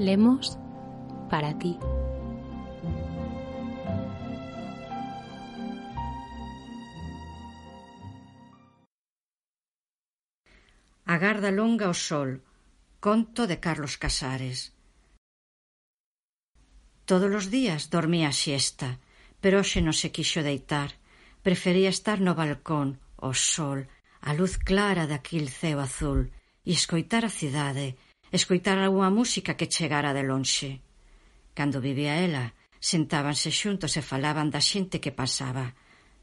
Lemos para ti. A garda longa ao sol, conto de Carlos Casares. Todos os días dormía a siesta, pero hoxe non se quixo deitar. Prefería estar no balcón, o sol, a luz clara daquil ceo azul, e escoitar a cidade, escoitar algunha música que chegara de lonxe. Cando vivía ela, sentábanse xuntos e falaban da xente que pasaba,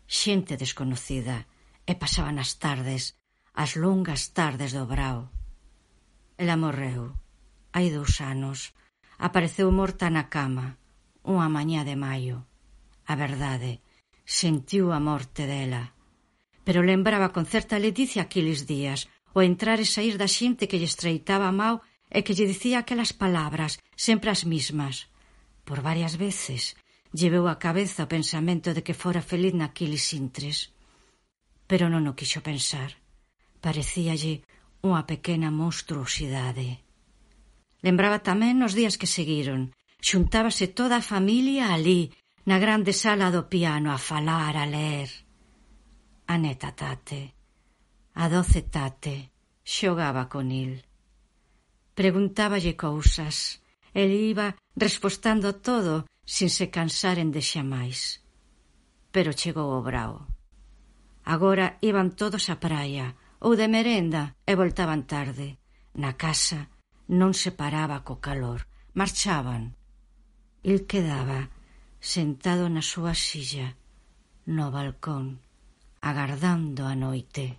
xente desconocida, e pasaban as tardes, as longas tardes do brao. Ela morreu, hai 2 anos. Apareceu morta na cama, unha mañá de maio. A verdade, sentiu a morte dela. Pero lembraba con certa ledicia aqueles días, o entrar e sair da xente que lle estreitaba a mao e que lle dicía aquelas palabras, sempre as mismas. Por varias veces lle veu a cabeza o pensamento de que fora feliz naqueles intres. Pero non o quixo pensar. Parecíalle unha pequena monstruosidade. Lembraba tamén os días que seguiron. Xuntábase toda a familia alí, na grande sala do piano, a falar, a ler. A neta Tate, a doce Tate, xogaba con il. Preguntáballe cousas. El iba respostando todo sin se cansaren de xamais. Pero chegou o brao. Agora iban todos á praia, ou de merenda, e voltaban tarde. Na casa non se paraba co calor, marchaban. Il quedaba sentado na súa silla, no balcón, agardando a noite.